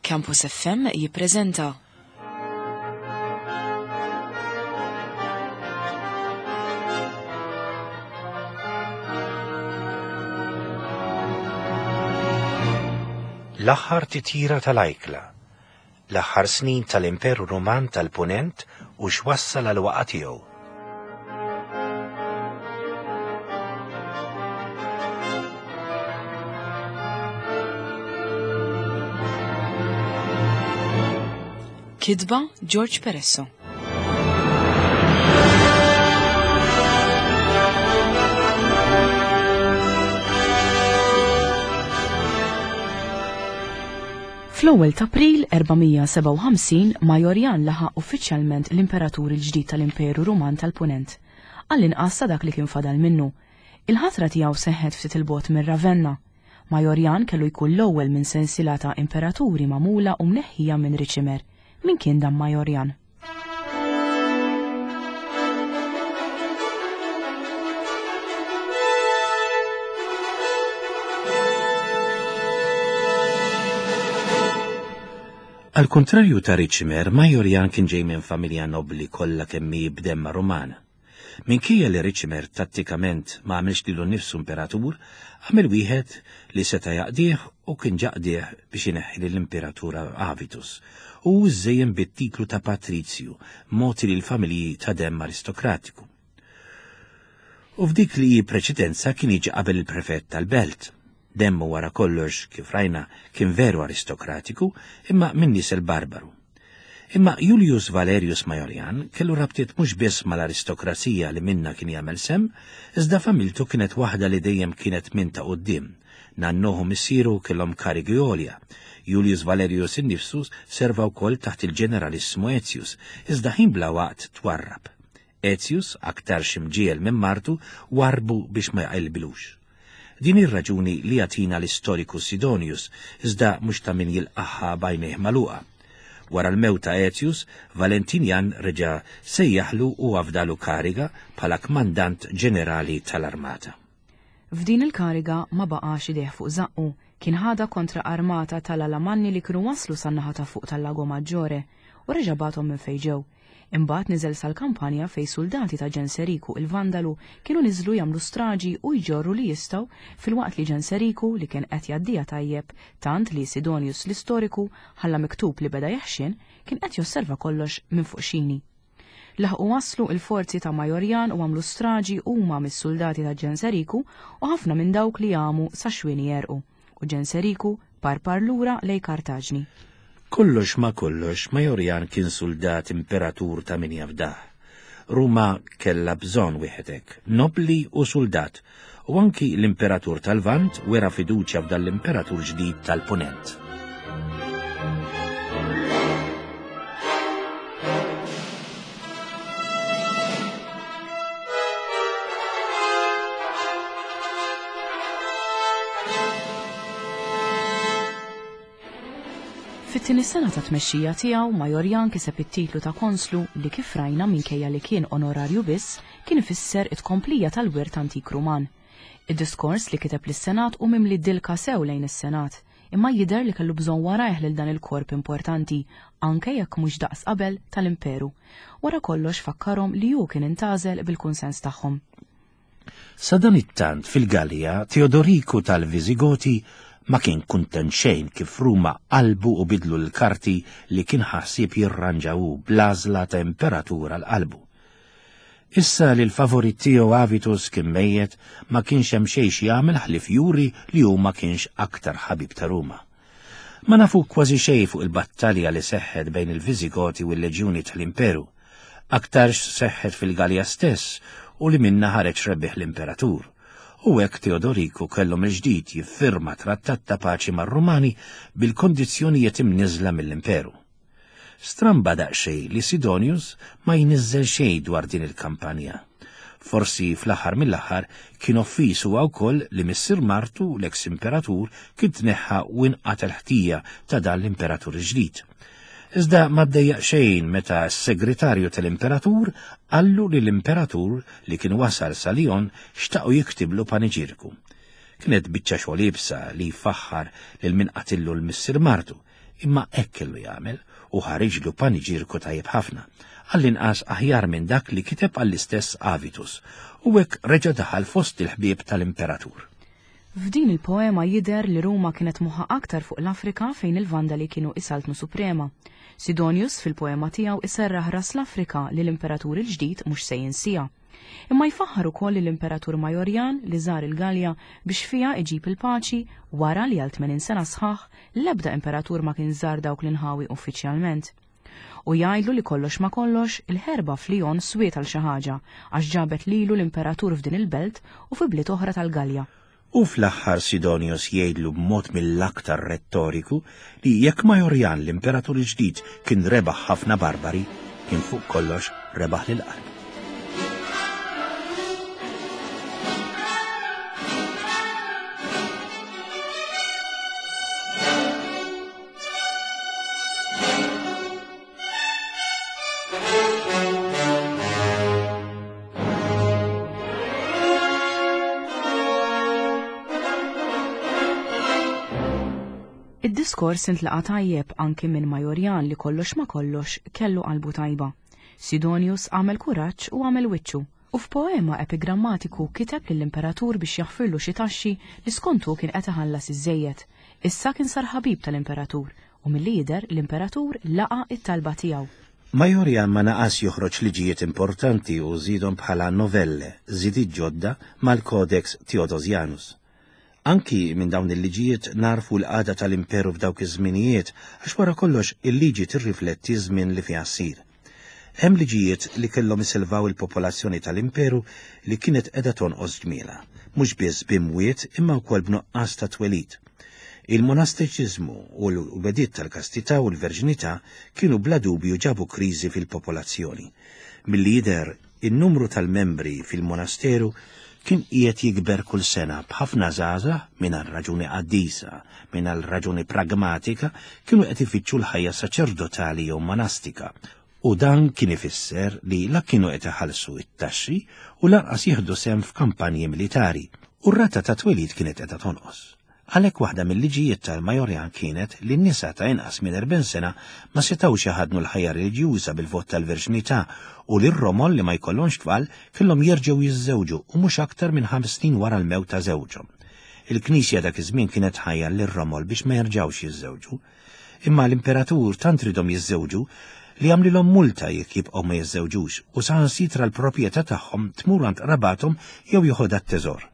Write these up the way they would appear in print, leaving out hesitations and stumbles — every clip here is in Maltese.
Campus FM jippreżenta. L-aħħar titjira tal-ajkla, l-aħħar snin tal-Imperu Ruman tal-Punent u x'wassal għal waqa' tiegħu. Kitba George Peresso. Fl-ewwel t'April 457 Majorjan laħaq uffiċjalment l-imperatur il-ġdid tal-Imperu Ruman tal-Punent, għall-inqas sa dak li kien fadal minnu. Il-ħatra tiegħu seħħet ftit 'il bogħod minn Ravenna. Majorjan kellu jkun l-ewwel minn sensiela ta' imperaturi magħmula u mneħħija minn Riċimer. Min kien dan Majorjan? Għal kuntrarju ta' Riċimer, Majorjan kien ġej minn familja nobbli kollha kemm hi b'demma Rumana. Minkejja li Ricimer tattikament ma għamilx lilu nnifsu imperatur, għamel wieħed li seta' jaqdih u kien ġa qdieh biex ineħħi lill-Imperatur Avitus, u hu żżejjen bit-titlu ta' patrizju mogħti lil familji ta' demm aristokratiku. U f'dik li hi preċedenza kien jiġi qabel il-prefett tal-belt. Demmu wara kollox, kif rajna, kien veru aristokratiku, imma minn nisel barbaru. Imma Julius Valerius Majorian kellu rabtiet mhux biss mal-aristokrazija li minnha kien jagħmel sehem, iżda familtu kienet waħda li dejjem kienet minn ta' quddiem. Nannuh u missieru kellhom karigi għolja. Julius Valerius innifsu serva wkoll taħt il-ġeneralissimu Aetius, iżda ħin bla waqt twarrab. Aetius, aktarx imġiegħel minn martu, warrbu biex ma jaqilbilux. Din hi r-raġuni li jagħtina l-istoriku Sidonius, iżda mhux ta' min jilqagħha b'għajnejh magħluqa. Wara l-mewt ta' Aetius, Valentinian reġa' sejjaħlu u afdalu kariga bħala kmandant ġenerali tal-armata. F'din il-kariga ma baqax idejh fuq żaqqu, kien ħadha kontra armata tal-Alamanni li kienu waslu san-naħa ta' fuq tal-Lago Maggiore u reġa' bagħathom minn fejn ġew. Imbagħad niżel sal-kampanja fejn suldati ta' Ġenseriku il-Vandalu kienu niżlu jagħmlu straġi u jġorru li jistgħu filwaqt li Ġenseriku li kien qed jgħaddiha tajjeb tant li Sidonius l-istoriku ħalla miktub li beda jeħxien kien qed josserva kollox minn fuq xini. Laħqu waslu il-forzi ta' Majorjan u għamlu straġi huma mis-suldati ta' Ġenseriku u ħafna minn dawk li għamu sa xwieni għerqu. U Ġenseriku parpar lura lejn Kartaġni. Kollox ma' kollox, Majorjan kien suldat imperatur ta' min jafdah. Ruma kellha bżonn wieħed hekk, nobbli u suldat, u anki l-imperatur tal-Lvant wera fiduċja f'dan l-imperatur ġdid tal-Punent. Fit-tieni sena ta' tmexxija tiegħu, Majorjan kiseb it-titlu ta' konslu li kif rajna minkejja li kien onorarju biss, kien ifisser it-tkomplija tal-wirt antik Ruman. Id-diskors li kiteb lis-Senat hu mimli dilka sew lejn is-Senat, imma jidher li kellu bżonn warajh lil dan il-korp importanti, anke jekk mhux daqs qabel, tal-Imperu. Wara kollox fakkarhom li hu kien intgħażel bil-kunsens tagħhom. Sadanittant fil-Gallja, Teodoriku tal-Viżigoti ma kien kuntent xejn kif Ruma qalbu u bidlu l-karti li kien ħa ħsieb jirranġa hu bl-għażla ta' imperatur għal qalbu. Issa li l-favorit tiegħu Avitus kien mejjet, ma kienx hemm xejn x'jagħmel ħlief juri li hu ma kienx aktar ħabib ta' Ruma. Ma nafu kważi xejn fuq il-battalja li seħħet bejn il-Viżigoti u l-leġjuni tal-Imperu. Aktarx seħħet fil-Galja stess u li minnha ħareġ rebbieħ l-Imperatur. U hekk Teodoriku kellu mill-ġdid jiffirma trattat ta' paċi mar-Rumani bil-kondizzjonijiet imniżżla mill-Imperu. Stramba daqsxejn li Sidonius ma jniżżel xejn dwar din il-kampanja. Forsi fl-aħħar mill-aħħar kien offiż huwa wkoll li missier martu, l-eks imperatur, kien tneħħa u inqatel ħtija ta' dan l-imperatur il-ġdid. Iżda ma ddejjaq xejn meta s-segretarju tal-imperatur qallu li l-imperatur li kien wasal sa Lyon xtaqu jiktiblu paniġierku. Kienet biċċa xogħol iebsa li jfaħħar lil min qatillu l-missier martu. Imma hekk kellu jagħmel u ħariġlu paniġierku tajjeb ħafna, għall-inqas aħjar minn dak li kiteb għall-istess Avitus, u hekk reġa' daħal fost il-ħbieb tal-imperatur. F'din il-poema jidher li Ruma kienet moħħha aktar fuq l-Afrika fejn il-Vandali kienu isaltnu suprema. Sidonius fil-poema tiegħu iserraħ ras l-Afrika li l-imperatur il-ġdid mhux se jinsiha. Imma jfaħħar ukoll lill-Imperatur Majorjan li żar il-Galja biex fiha iġib il-paċi wara li għal 80 sena sħaħ l-ebda imperatur ma kien żar dawk l-inħawi uffiċjalment. U jgħidlu li kollox ma' kollox, il-ħerba f'Lyon swiet għal xi ħaġa, għax ġabet lilu l-imperatur f'din il-belt u fi bliet oħra tal-Galja. U fl-aħħar Sidonius jgħidlu b'mod mill-aktar rettoriku li jekk Majorjan l-imperatur il-ġdid kien rebaħ ħafna barbari, kien fuq kollox rebaħ lil qalbu. Id-diskors intlaqa' tajjeb anki minn Majorjan li kollox ma' kollox kellu qalbu tajba. Sidonius għamel kuraġġ u għamel wiċċu, u f'poema epigrammatiku kiteb lill-imperatur biex jaħfirlu xi taxxi li skont hu kien qed iħallas iżżejjed. Issa kien sar ħabib tal-imperatur u milli jidher l-imperatur laqa' t-talba tiegħu. Majorjan ma naqas joħroġ liġijiet importanti u żiedhom bħala novelle, żidiet ġodda, mal-Codex Theodosianus. Anki minn dawn il-liġijiet nagħrfu l-qagħda tal-imperu f'dawk iż-żminijiet għax wara kollox il-liġi tirrifletti ż-żmien li fiha ssir. Hemm liġijiet li kellhom iselvaw il-popolazzjoni tal-imperu li kienet qiegħda tonqos ġmielha, mhux biss b'imwiet imma wkoll b'nuqqas ta' twelid. Il-monastiċiżmu u l-wegħdiet tal-kastità u l-verġnità kienu bla dubju ġabu kriżi fil-popolazzjoni. Milli jidher, in-numru tal-membri fil-monasteru kien qiegħed jikber kull sena b'ħafna żgħażagħ min għal raġuni qaddisa, min għal raġuni pragmatika kienu qed ifittxu l-ħajja saċerdotali jew monastika u dan kien ifisser li la kienu qed iħallsu t-taxxi u lanqas jieħdu sehem f'kampanji militari u r-rata ta' twelid kienet qiegħda tonqos. Għalhekk waħda mil-liġijiet tal-Majorjan kienet li n-nisa ta' inqas minn 40 sena ma setgħux iħaddnu l-ħajja reliġjuża bil-vot tal-verġnità u li r-romol li ma jkollhomx tfal kellhom jerġgħu jiżżewġu u mhux aktar minn ħames snin wara l-mewt ta' żewġhom. Il-Knisja dak iż-żmien kienet tħajjar lir-romol biex ma jerġgħux jiżżewġu. Imma l-imperatur tant ridhom jiżżewġu li għamlilhom multa jekk jibqgħu ma jiżżewġux u saħansitra l-proprjetà tagħhom tmur għand qrabathom jew joħodha t-teżor.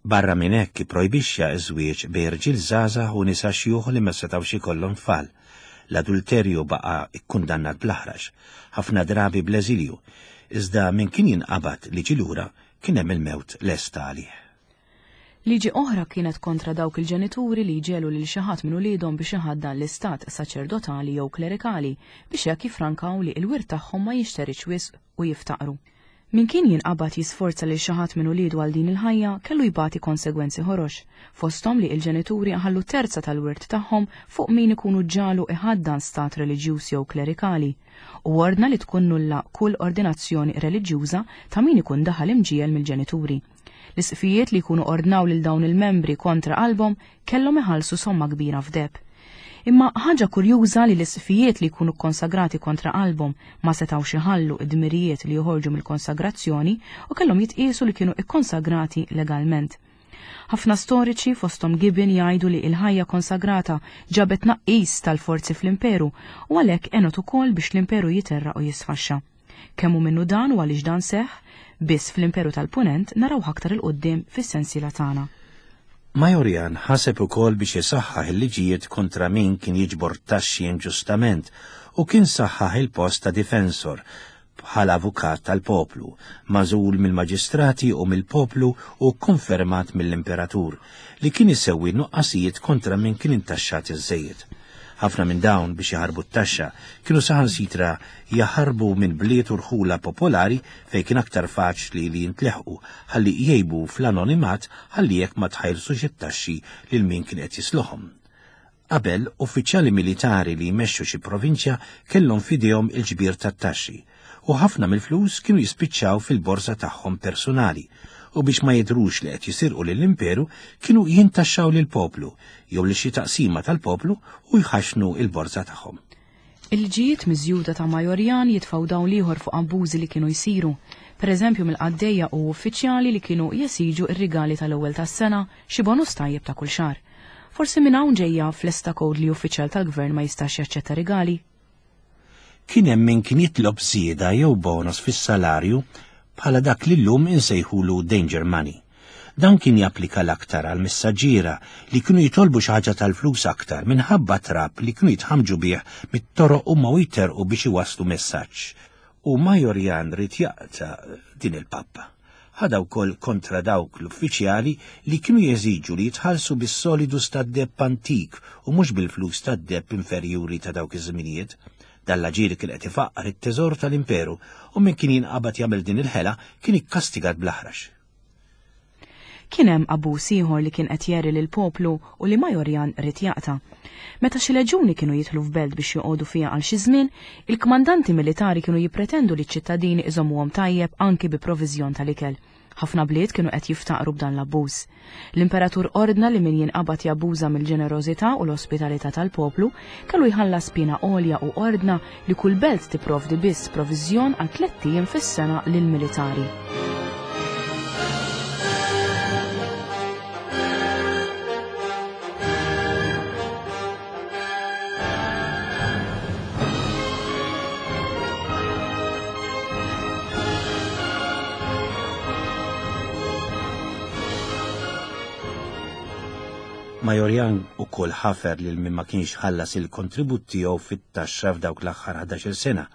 Barra minn hekk ipprojbixxa ż-żwieġ bejn irġiel żgħażagħ u nisa xjuħ li ma setgħux ikollhom tfal. L-adulterju baqa' kkundannat bl-aħrax, ħafna drabi bl-eżilju, iżda min kien jinqabad li ġie lura kien hemm il-mewt lesta għalih. Liġi oħra kienet kontra dawk il-ġenituri li jġegħlu lil xi ħadd minn uliedhom biex iħaddan l-istat saċerdotali jew klerikali biex hekk jiffrankaw li l-wirt tagħhom ma jixteridx wisq u jiftaqru. Min kien jinqabad jisforza lil xi ħadd minn uliedu għal din il-ħajja kellu jbati konsegwenzi ħorox, fosthom li il-ġenituri iħallu terza tal-wirt tagħhom fuq min ikunu ġagħlu iħaddan stat reliġjuż jew klerikali, u ordna li tkun nulla kull ordinazzjoni reliġjuża ta' min ikun daħal imġiegħel mill-ġenituri. L-isqfijiet li jkunu ordnaw lil dawn il-membri kontra qalbhom kellhom iħallsu somma kbira f'deheb. Imma ħaġa kurjuża li l-isqfijiet li jkunu kkonsagrati kontra qalbhom ma setgħux iħallu d-dmirijiet li joħorġu mill-konsagrazzjoni u kellhom jitqiesu li kienu kkonsagrati legalment. Ħafna storiċi fosthom Gibbon jgħidu li l-ħajja konsagrata ġabet tnaqqis tal-forzi fl-imperu u għalhekk għenot ukoll biex l-imperu jiterraq u jisfaxxa. Kemm hu minnu dan u għaliex dan seħħ, biss fl-Imperu tal-Punent narawh aktar 'il quddiem fis-sensiela tagħna. Majorian ħaseb ukoll biex isaħħaħ il-liġijiet kontra min kien jiġbor taxxi inġustament u kien saħħaħ il-post ta' difensor bħala avukat tal-poplu, magħżul mill-maġistrati u mill-poplu u kkonfermat mill-imperatur, li kien isewwi nuqqasijiet kontra min kien intaxxat iżżejjed. Ħafna minn dawn biex jaħarbu t-taxxa kienu saħansitra jaħarbu minn bliet u rħula popolari fejn kien aktar faċli li jintleħqu ħalli jgħibu fl-anonimat ħalli jekk ma tħajrsux it-taxxi lil min kien qed jisloħhom. Qabel, uffiċjali militari li jmexxu xi provinċja kellhom f'idejhom il-ġbir tat-taxxi u ħafna mill-flus kienu jispiċċaw fil-borża tagħhom persunali. u biex ma jidhrux li qed jisirqu lill-imperu kienu jintaxxaw lill-poplu jew lil xi taqsima tal-poplu u jħaxxnu l-borża tagħhom. Il-liġijiet miżjuda ta' Majorjan jitfgħu dawl ieħor fuq abbużi li kienu jsiru, pereżempju mill-qaddejja u uffiċjali li kienu jesiġu r-rigali tal-ewwel tas-sena, xi bonus tajjeb ta' kull xahar. Forsi minn hawn ġejja fl-esta code li uffiċjal tal-gvern ma jistax jaċċetta rigali? Kien hemm min kien jitlob żieda jew bonus fis-salarju bħala dak li llum insejħulu danger money. Dan kien japplika l-aktar għal messaġġiera li kienu jitolbu xi ħaġa tal-flus aktar minħabba trab li kienu jitħammġu bih mit-toroq huma u jterrqu biex iwasslu messaġġ. U Majorjan ried jaqta' din il-pappa. Ħadha wkoll kontra dawk l-uffiċjali li kienu jeżiġu li jitħallsu bis-solidus tad-deheb antik u mhux bil-flus tad-deheb inferjuri ta' dawk iż-żminijiet. Dan l-aġir kien qed ifaqqar it-teżor tal-imperu u min kien jinqabad jagħmel din il-ħela kien ikkastigat bl-aħrax. Kien hemm abbuż ieħor li kien qed jgħerri lill-poplu u li Majorjan ried jaqta'. Meta xi leġuni kienu jidħlu f'belt biex joqogħdu fiha għal xi żmien, il-kmandanti militari kienu jippretendu li ċ-ċittadini iżommuhom tajjeb anki bi proviżjon tal-ikel. Ħafna bliet kienu qed jiftaqru b'dan l-abbuż. L-imperatur ordna li min jinqabad jabbuża mill-ġenerożità u l-ospitalità tal-poplu kellu jħallas piena għolja u ordna li kull belt tipprovdi biss proviżjon għal tlett ijiem fis-sena lill-militari. Majorjan ukoll ħafer lil min ma kienx ħallas il-kontribut tiegħu fit-taxxa f'dawk l-aħħar 11-il sena.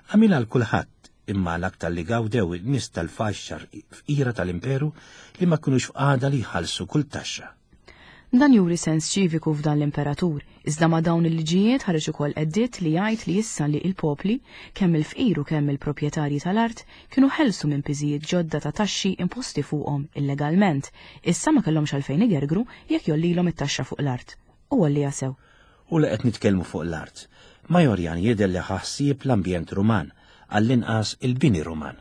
Għamilha għal kulħadd, imma l-aktar li gawdew in-nies tal-faxxa fqira tal-imperu li ma kinux f'qagħda li jħallsu kull taxxa. Dan juri sens ċiviku f'dan l-imperatur, iżda ma' dawn il-liġijiet ħareġ ukoll editt li jgħid li issa li il-popli, kemm il-fqir u kemm il-proprjetarji tal-art, kienu ħelsu minn piżijiet ġodda ta' taxxi imposti fuqhom illegalment, issa ma kellhomx għalfejn igergru jekk jgħollilhom it-taxxa fuq l-art. U għolliha sew. U li qed nitkellmu fuq l-art, Majorjan jidher li ħa ħsieb l-ambjent Ruman, għall-inqas il-bini Ruman.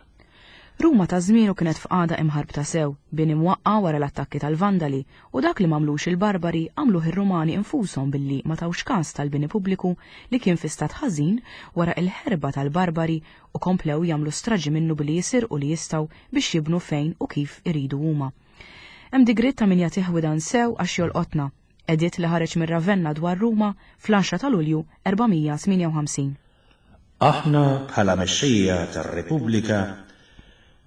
Ruma ta' żmienu kienet f'qagħda imħarbta sew, bini mwaqqa' wara l-attakki tal-Vandali, u dak li m'għamlux il-Barbari għamluh ir-Rumani infushom billi ma tawx kas tal-bini pubbliku li kien fi stat ħażin wara il-ħerba tal-Barbari u komplew jagħmlu straġi minnu billi jisirqu li jistgħu biex jibnu fejn u kif iridu huma. Hemm digriet ta' min jagħtih widan sew għax jolqotna, editt li ħareġ minn Ravenna dwar Ruma fl-10 ta' Lulju 458. Aħna bħala mexxejja tar-Repubblika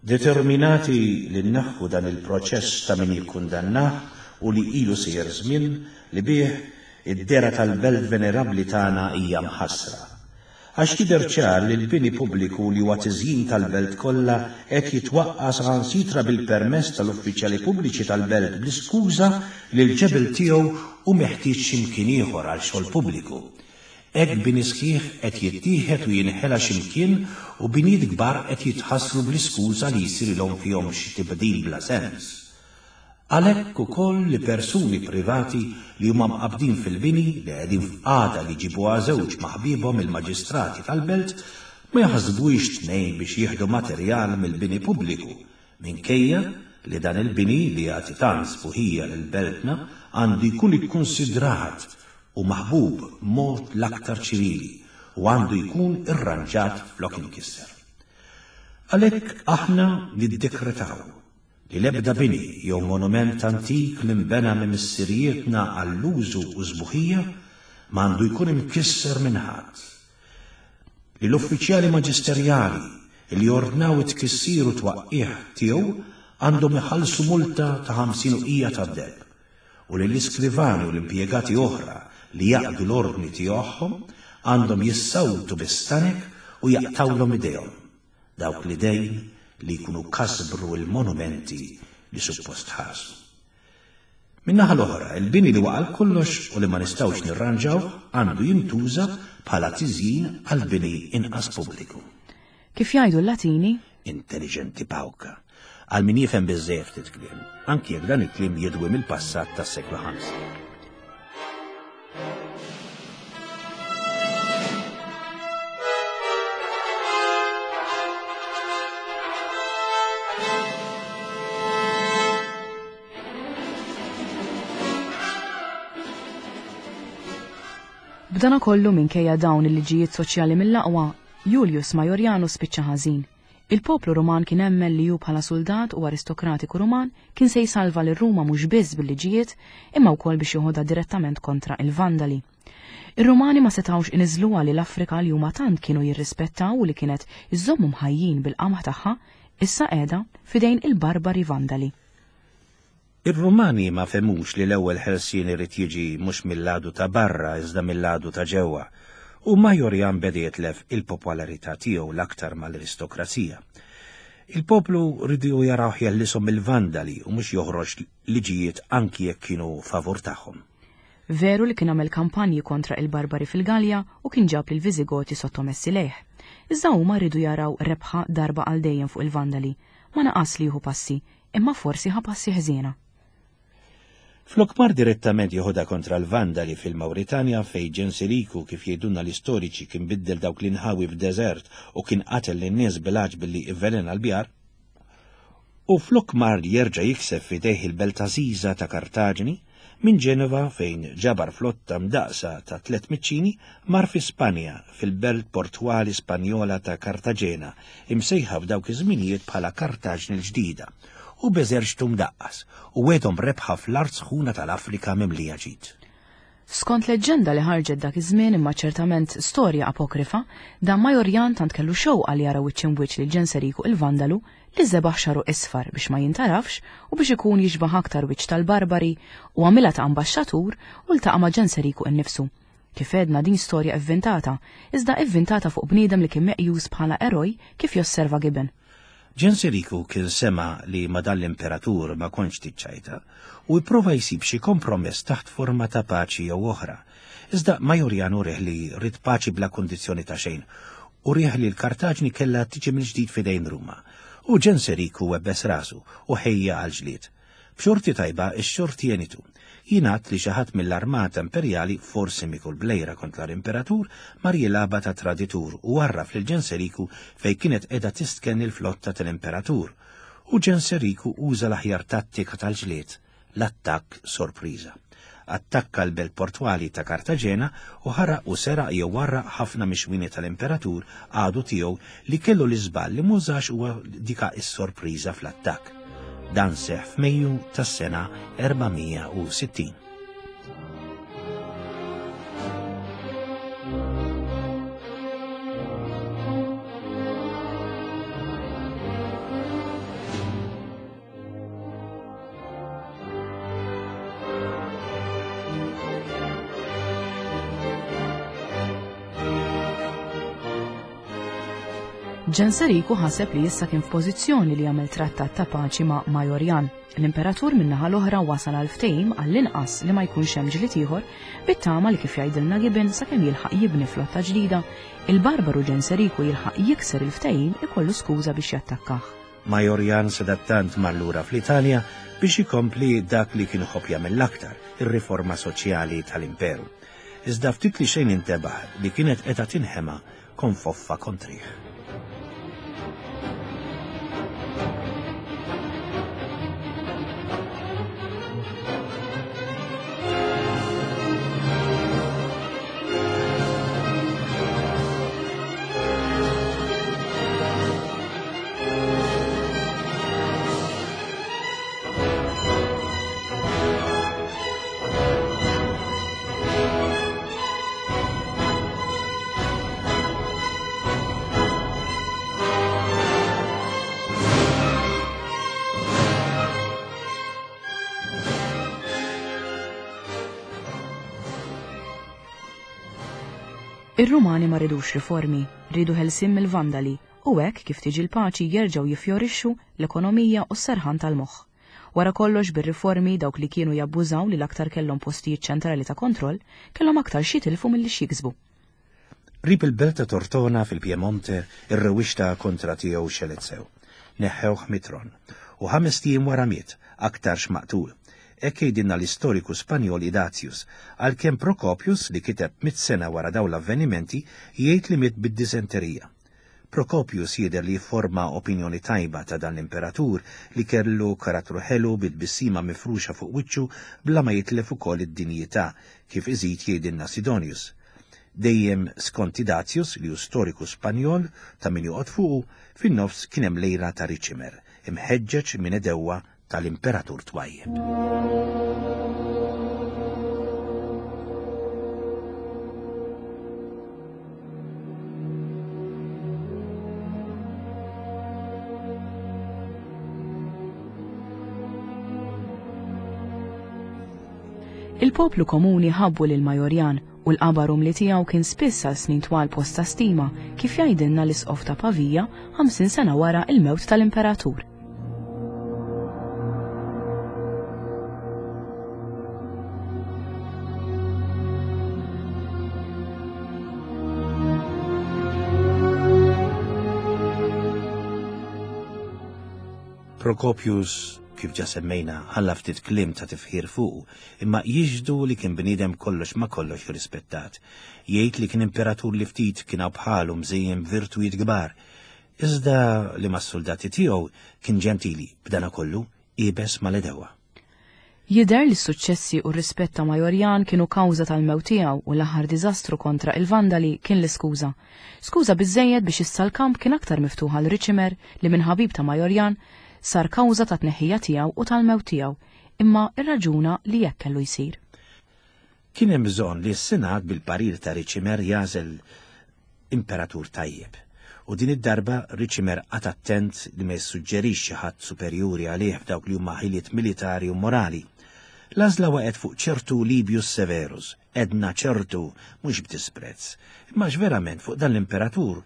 determinati li nneħħu dan il-proċess ta' min jikkundannah u li ilu sejjer żmien li bih id-dehra tal-belt venerabbli tagħna hija mħassra. Għax jidher ċar li l-bini pubbliku li huwa tiżjin tal-belt kollha qed jitwaqqa' saħansitra bil-permess tal-uffiċjali pubbliċi tal-belt bl-iskuża li l-ġebel tiegħu hu meħtieġ xi mkien ieħor għal xogħol pubbliku. Hekk bini sħiħ qed jittieħed u jinħela xi mkien u binjiet kbar qed jitħassru bl-iskuża li jsirilhom fihom xi tibdil bla sens. Għalhekk ukoll li persuni privati li huma mqabbdin fil-bini li qegħdin f'qagħda li jġibuha żewġ ma' ħbiebhom il-maġistrati tal-belt ma jaħsbuhiex tnejn biex jieħdu materjal mill-bini pubbliku minkejja li dan il-bini li jagħti tant sbuħija lil beltna għandu jkun ikkunsidrat u maħbub b'mod l-aktar ċivili u għandu jkun irranġat flok imkisser. Għalhekk aħna niddekretaw li l-ebda bini jew monument antik li nbena minn missirijietna għall-użu u s-sbuħija ma għandu jkun imkisser minn ħadd. Li l-uffiċjali maġisterjali li ordnaw it-tkissir u t-twaqqigħ tiegħu għandhom iħallsu multa ta' 50 uqija tad-deheb u li l-iskrivani u l-impjegati oħra li jaqdu l-ordni tiegħhom għandhom jissawtu bis-stanek u jaqtgħulhom idejhom, dawk l-idejn li jkunu kasbru l-monumenti li suppost ħarsu. Min-naħa l-oħra, il-bini li waqa' għal kollox u li ma nistgħux nirranġawh għandu jintuża bħala tiżjin għal bini inqas pubbliku. Kif jgħidu l-Latini? Intelligenti pauca. Għal min jifhem biżżejjed ftit kliem, anki jekk dan il-kliem jidwi mill-passat tas-seklu 5. B'danakollu minkejja dawn il-liġijiet soċjali mill-aqwa, Julius Majorjanus spiċċa ħażin. Il-poplu Ruman kien emmen li hu bħala suldat u aristokratiku Ruman kien se jsalva lil Ruma mhux biss bil-liġijiet imma wkoll biex joħodha direttament kontra il-Vandali. Ir-Rumani ma setgħux iniżżluha li l-Afrika li huma tant kienu jirrispettaw u li kienet iżżommhom ħajjin bil-qamħ tagħha, issa qiegħda f'idejn il-barbari Vandali. Ir-Rumani ma fehmux li l-ewwel ħelsien irid jiġi mhux mill-għadu ta' barra iżda mill-għadu ta' ġewwa, u Majorjan beda jitlef il-popolarità tiegħu l-aktar mal-aristokrazija. Il-poplu riedu jarawh jeħlishom mill-Vandali u mhux joħroġ liġijiet anki jekk kienu favur tagħhom. Veru li kien għamel kampanji kontra il-Barbari fil-Galja u kien ġab lill-Viżigoti sottomessi lejh. Iżda huma riedu jaraw rebħa darba għal dejjem fuq il-Vandali. Ma naqas li jieħu passi, imma forsi ħa passi ħżiena. Flok mar direttament jeħodha kontra l-Vandali fil-Mawritanja fejn Ġenseriku, kif jgħidulna l-istoriċi, kien biddel dawk l-inħawi f'deżert u kien qatel lin-nies bil-għatx billi ivvelena l-bjar, u flok mar jerġa' jikseb f'idejh il-belt għażiża ta' Kartaġni, Minn Ġenova, fejn ġabar flotta mdaqqsa ta' 300 ċini, mar fi Spanja, fil-belt portwali Spanjola ta' Kartaġena, imsejħa f'dawk iż-żminijiet bħala Kartaġni l-Ġdida, u b'eżerċtu mdaqqas, u wegħedhom rebħa fl-art sħuna tal-Afrika mimlija ġid. Skont leġġenda li ħarġet dak iż-żmien imma ċertament storja apokrifa, dan Majorjan tant kellu xewqa li jara wiċċ imb'wiċċ lil Ġenseriku il-Vandalu li żebagħ xagħru isfar biex ma jintgħarafx u biex ikun jixbah aktar wiċċ tal-barbari u għamilha ta' ambaxxatur u ltaqa' ma' Ġenseriku innifsu. Kif għedna din storja ivvintata, iżda ivvintata fuq bniedem li kien meqjus bħala eroj kif josserva Gibbon. Ġenseriku kien sema' li ma' dan l-imperatur ma kontx tiċċajta u ipprova jsib xi kompromess taħt forma ta' paċi jew oħra. Iżda Majorjan urieh li ried paċi bla kundizzjoni ta' xejn. Urieh li l-Kartaġni kellha tiġi mill-ġdid f'idejn Ruma. U Ġenseriku webbes rasu u ħejja għall-ġlied. B'xorti tajba, ix-xorti għenitu. Jingħad li xi ħadd mill-armata imperjali, forsi mikul bl-għira kontra l-imperatur, mar jilgħabha ta' traditur u għarraf lil Ġenseriku fejn kienet qiegħda tistkenn il-flotta tal-imperatur. U Ġenseriku uża l-aħjar tattika tal-ġlied, l-attakk sorpriża. Attakka l-belt portwali ta' Kartaġena u ħaraq u seraq jew għarraq ħafna mix-xwieni tal-imperatur għadu tiegħu li kellu l-iżball li m'użax huwa dika s-sorpriża fl-attakk. Dan seħħ f'Mejju tas-sena 460. Ġenseriku ħaseb li issa kien f'pożizzjoni li jagħmel trattat ta' paċi ma' Majorjan. L-imperatur min-naħa l-oħra wasal għal ftehim għall-inqas li ma jkunx hemm ġlied ieħor bit-tama li kif jgħidilna Gibbon sakemm jilħaq jibni flotta ġdida, il-barbaru Ġenseriku jilħaq jikser il-ftehim ikollu skuża biex jattakkah. Majorjan sadattant mar lura fl-Italja biex ikompli dak li kien iħobb jagħmel l-aktar, ir-riforma soċjali tal-imperu. Iżda ftit li xejn intebaħ li kienet qiegħda tinħema konfoffa kontrih. Ir-Rumani ma ridux riformi, riedu ħelsien mill-Vandali u hekk kif tiġi l-paċi jerġgħu jiffjorixxu l-ekonomija u s-serħan tal-moħħ. Wara kollox bir-riformi dawk li kienu jabbużaw li l-aktar kellhom postijiet ċentrali ta' kontroll kellhom aktar x'jitilfu milli x'jiksbu. Qrib il-belt ta' Tortona fil-Piemonte ir-rewwixta kontra tiegħu xelet sew. Neħħewh mit-tron. U ħamest ijiem wara miet, aktarx maqtul. Hekk jgħidilna l-istoriku Spanjol Idatius, għalkemm Procopius, li kiteb mitt sena wara dawn l-avvenimenti, jgħid li miet bid-diżenterija. Procopius jidher li jifforma opinjoni tajba ta' dan l-imperatur li kellu karattru ħelu bi tbissima mifruxa fuq wiċċu bla ma jitlef ukoll id-dinjità, kif iżid jgħidilna Sidonius. Dejjem skont Idatius, li hu storiku Spanjol ta' min joqgħod fuqu, fin-nofs kien hemm l-għira ta' Riċimer, imħeġġeġ minn għedewwa tal-imperatur twajjeb. Il-poplu komuni ħabbu lil Majorjan u l-qabar umli tiegħu kien spiss għal snin twal post ta' stima, kif jgħidilna l-Isqof ta' Pavia 50 sena wara l-mewt tal-imperatur. Procopius, kif ġa semmejna, ħalla ftit kliem ta' tifħir fuqu, imma jixhdu li kien bniedem kollox ma' kollox rispettat. Jgħid li kien imperatur li ftit kien hawn bħalu mżejjen b'virtujiet kbar, iżda li mas-suldati tiegħu kien ġentili, b'danakollu iebes mal-għedewwa. Jidher li s-suċċessi u r-rispett ta' Majorjan kienu kawża tal-mewt tiegħu u l-aħħar diżastru kontra il-Vandali kien l-iskuża. Skuża biżżejjed biex issa l-kamp kien aktar miftuħ għal Riċimer li minn ħabib ta' Majorjan sar kawża tat-tneħħija tiegħu u tal-mewt tiegħu, imma rraġuna li hekk kellu jsir. Kien hemm bżonn li s-Senat bil-parir ta' Riċimer jagħżel imperatur tajjeb. U din id-darba Riċimer qagħad attent li ma jissuġġerix xi ħadd superjuri għalih f'dawk li huma ħiliet militari u morali. L-għażla waqgħet fuq ċertu Libius Severus, għedna ċertu mhux b'disprezz, imma għax verament fuq dan l-imperatur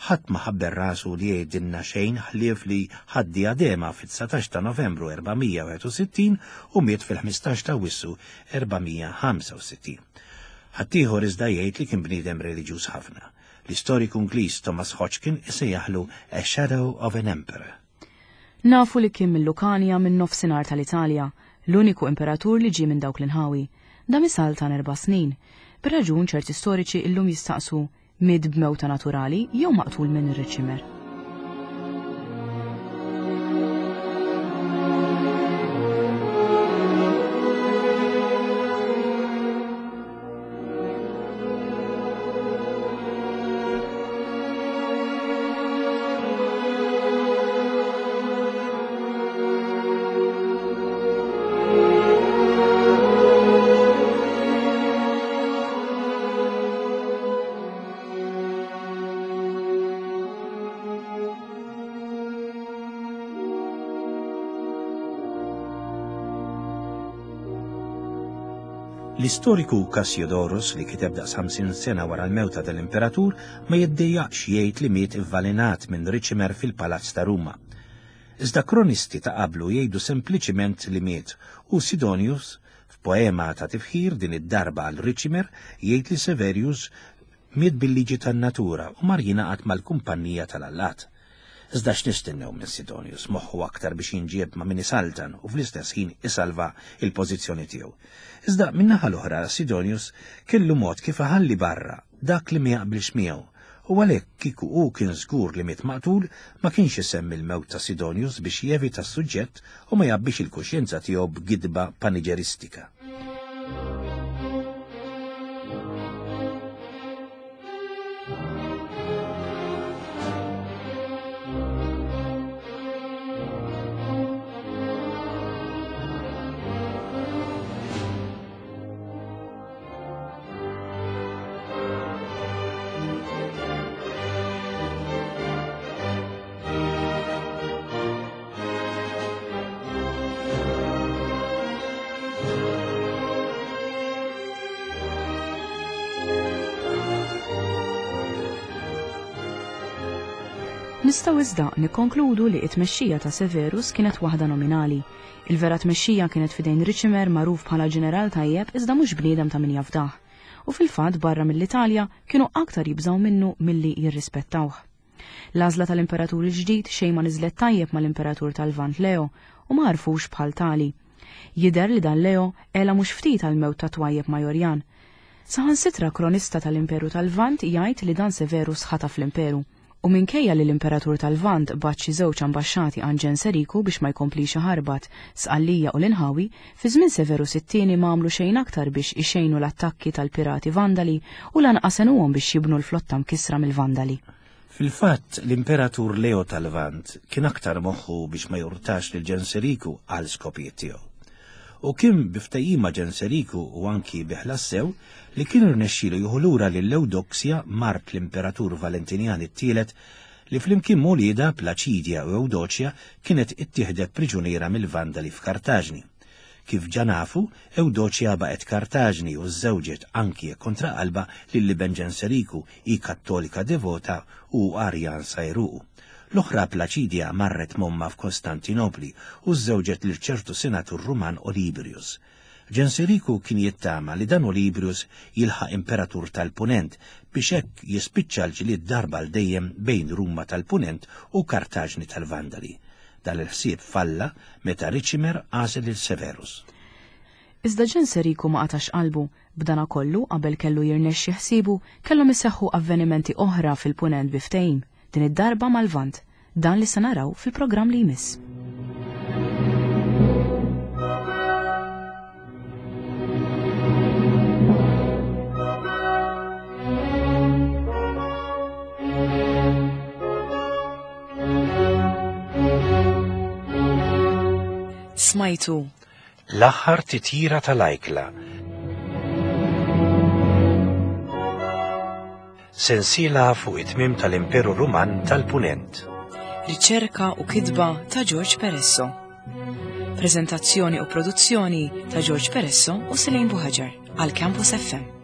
ħadd ma ħabbel rasu li jgħidilna xejn ħlief li ħa d-dijadema fit-19 ta' Novembru 461 u miet fil-15 ta' Awwissu 465. Ħaddieħor iżda jgħid li kien bniedem reliġjuż ħafna. L-istoriku Ingliż Thomas Hodgkin isejjaħlu A Shadow of an Emperor. Nafu li kien mil-Lukanja min-Nofsinhar tal-Italja, l-uniku imperatur li ġie minn dawk l-inħawi. Dam isaltan erba' snin. Bir-raġun ċerti storiċi illum jistaqsu, Miet b'mewta naturali jew maqtul minn Ricimer? L-istoriku Cassiodorus li kiteb daqs 50 sena wara l-mewta tal-imperatur ma jiddejjaqx jgħid li miet ivvalenat minn Riċimer fil-Palazz ta' Ruma. Iżda kronisti ta' qablu jgħidu sempliċiment li miet u Sidonius F'poema ta' tifħir, din id-darba għal Ricimer, jgħid li Severius miet bil-liġi tan-natura u mar jingħaqad mal-kumpannija tal-allat. Iżda x'nistennew minn Sidonius, moħħu aktar biex jinġieb ma' min isaltan u fl-istess ħin isalva l-pożizzjoni tiegħu. Iżda min-naħa l-oħra Sidonius kellu mod kif iħalli barra dak li ma jaqbilx miegħu u għalhekk kieku hu kien żgur li miet maqtul ma kienx isemmi l-mewt ta' Sidonius biex jevita s-suġġett u ma jgħabbix il-kuxjenza tiegħu b'gidba paniġeristika. Nistgħu iżda nikkonkludu li t-tmexxija ta' Severus kienet waħda nominali. Il-vera tmexxija kienet f'idejn Ricimer magħruf bħala ġeneral tajjeb iżda mhux bniedem ta' min jafdah. U fil-fatt barra mill-Italja kienu aktar jibżgħu minnu milli jirrispettawh. L-għażla tal-imperatur il-ġdid xejn ma niżlet tajjeb mal-imperatur tal-Lvant Leo u ma għarfux bħal tali. Jidher li dan Leo għela mhux ftit għall-mewt ta' twajjeb Majorjan. Saħansitra kronista tal-Imperu tal-Lvant jgħid li dan Severus ħataf l-imperu. U minkejja li l-Imperatur tal-Lvant bagħat xi żewġ ambaxxati għand Ġenseriku biex ma jkomplix iħarbat Sqallija u l-inħawi, fi żmien Severus it-Tieni ma għamlu xejn aktar biex ixejnu l-attakki tal-pirati Vandali u lanqas għenuhom biex jibnu l-flotta mkissra mill-Vandali. Fil-fatt, l-Imperatur Leo tal-Lvant kien aktar moħħu biex ma jurtax lil Ġenseriku għal skopijiet tiegħu. U kien bi ftehim ma' Ġenseriku u anki bi ħlas sew li kien irnexxielu jieħu lura lil Ewdoksja mart l-Imperatur Valentinjan it-Tielet li flimkien m'uliedha Plaċidja u Ewdoċja kienet ittieħdet priġuniera mill-Vandali f'Kartaġni. Kif ġa nafu, Ewdoċja baqgħet Kartaġni u żżewġet anki jekk kontra qalbha lil iben Ġenseriku, hi Kattolika devota u Arjan sa għeruqu. L-oħra Plaċidja marret m'ommha f'Kostantinopli u żżewġet lil ċertu senatur Ruman Olibrius. Ġenseriku kien jittama li dan Olibrius jilħaq imperatur tal-Punent biex hekk jispiċċa l-ġlied darba għal dejjem bejn Ruma tal-Punent u Kartaġni tal-Vandali. Dan il-ħsieb falla meta Riċimer għażel lil Severus. Iżda Ġenseriku ma qatax qalbu. B'danakollu, qabel kellu jirnexxi ħsiebu, kellhom iseħħu avvenimenti oħra fil-Punent bi ftehim, din id-darba mal-Lvant. Dan li se naraw fil-programm li jmiss. Smajtu L-aħħar titjira tal-ajkla. Sensiela fuq it-tmiem tal-Imperu Ruman tal-Punent. Riċerka u kitba ta' George Peresso. Prezentazzjoni u produzzjoni ta' George Peresso u Selene Buhaġar għal Campus FM.